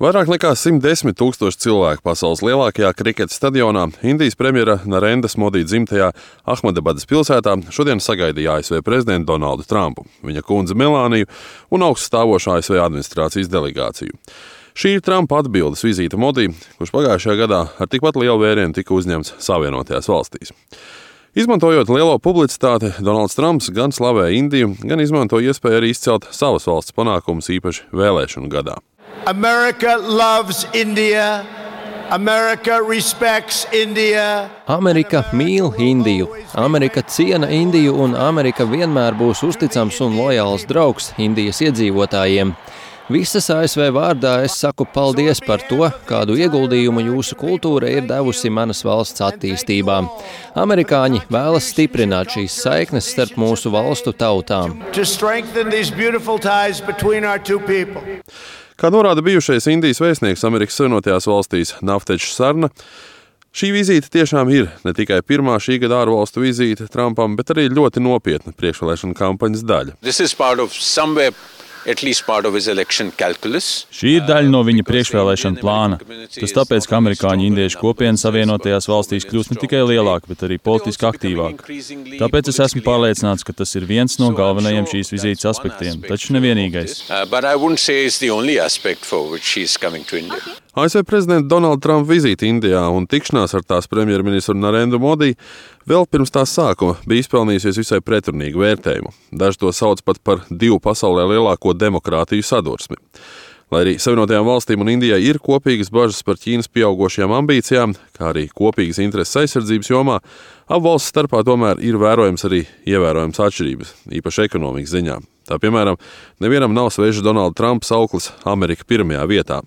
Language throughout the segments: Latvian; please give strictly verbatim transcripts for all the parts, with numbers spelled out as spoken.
Vairāk nekā simt desmit tūkstoši cilvēku pasaules lielākajā kriketa stadionā Indijas premjera Narendas Modi dzimtajā Ahmedabadas pilsētā šodien sagaidīja A S V prezidentu Donaldu Trumpu, viņa kundzi Melāniju un augststāvošo A S V administrācijas delegāciju. Šī ir Trumpa atbildes vizīte Modi, kurš pagājušajā gadā ar tikpat lielu vērienu tika uzņemts Savienotajās valstīs. Izmantojot lielo publicitāti, Donalds Trumps gan slavēja Indiju, gan izmantoja iespēju arī izcelt savas valsts panākumus īpaši vēlēšanu gadā. America loves India. America respects India. Amerika mīl Indiju. Amerika ciena Indiju un Amerika vienmēr būs uzticams un lojāls draugs Indijas iedzīvotājiem. Visas A S V vārdā es saku paldies par to, kādu ieguldījumu jūsu kultūra ir devusi manas valsts attīstībā. Amerikāņi vēlas stiprināt šīs saiknes starp mūsu valstu tautām. Kā norāda bijušais Indijas vēstnieks Amerikas Savienotajās valstīs Navtedžs Sarna, šī vizīte tiešām ir ne tikai pirmā šī gada ārvalstu vizīte Trumpam, bet arī ļoti nopietna priekšvēlēšana kampaņas daļa. Šī ir daļa no viņa priekšvēlēšana plāna. Tas tāpēc, ka amerikāņu indiešu kopiena Savienotajās valstīs kļūst ne tikai lielāka, bet arī politiski aktīvāka. Tāpēc es esmu pārliecināts, ka tas ir viens no galvenajiem šīs vizītes aspektiem, taču nevienīgais. A S V prezidenta Donalda Trumpa vizīte Indijā un tikšanās ar tās premjerministru Narendu Modi vēl pirms tās sākuma bija izpelnījusies visai pretrunīgu vērtējumu. Daži to sauc pat par divu pasaulē lielāko demokrātiju sadursmi. Lai arī Savienotajām valstīm un Indijai ir kopīgas bažas par Ķīnas pieaugošajām ambīcijām, kā arī kopīgas intereses aizsardzības jomā, abu valstu starpā tomēr ir vērojams arī ievērojams atšķirības, īpaši ekonomikas ziņā. Tā piemēram, nevienam nav svežs Donalda Trumpa sauklis Amerika pirmajā vietā.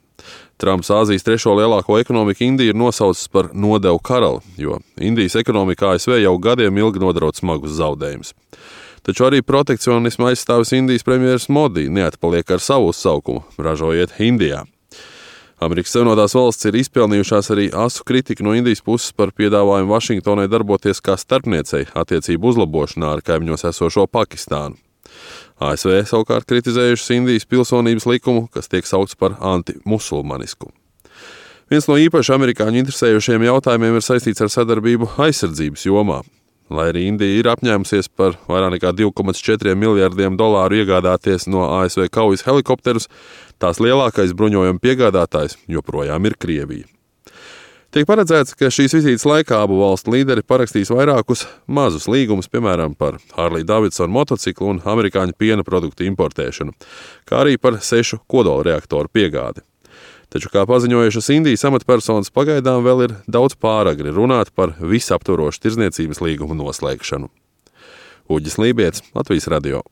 Trumps Āzijas trešo lielāko ekonomiku Indiju ir nosaucis par nodevu karali, jo Indijas ekonomika A S V jau gadiem ilgi nodraud smagus zaudējumus. Taču arī protekcionismu aizstāvis Indijas premjeras Modi neatpaliek ar savu uzsaukumu ražojiet Indijā. Amerikas Savienotās valstis ir izpelnījušās arī asu kritiku no Indijas puses par piedāvājumu Vašingtonai darboties kā starpniecei attiecību uzlabošanā ar kaimiņos esošo Pakistānu. A S V savukārt kritizējušas Indijas pilsonības likumu, kas tiek saukts par antimusulmanisku. Viens no īpaši amerikāņu interesējušiem jautājumiem ir saistīts ar sadarbību aizsardzības jomā. Lai arī Indija ir apņēmusies par vairāk nekā divi komats četri miljardiem dolāru iegādāties no A S V kaujas helikopterus, tās lielākais bruņojuma piegādātājs joprojām ir Krievija. Tiek paredzēts, ka šīs vizītes laikā abu valstu līderi parakstīs vairākus mazus līgumus, piemēram, par Harley Davidson motociklu un amerikāņu piena produktu importēšanu, kā arī par sešu kodolreaktoru piegādi. Taču, kā paziņojušas Indijas amatpersonas, pagaidām vēl ir daudz pāragri runāt par visaptvarošu tirdzniecības līgumu noslēgšanu. Uģis Lībietis, Latvijas radio.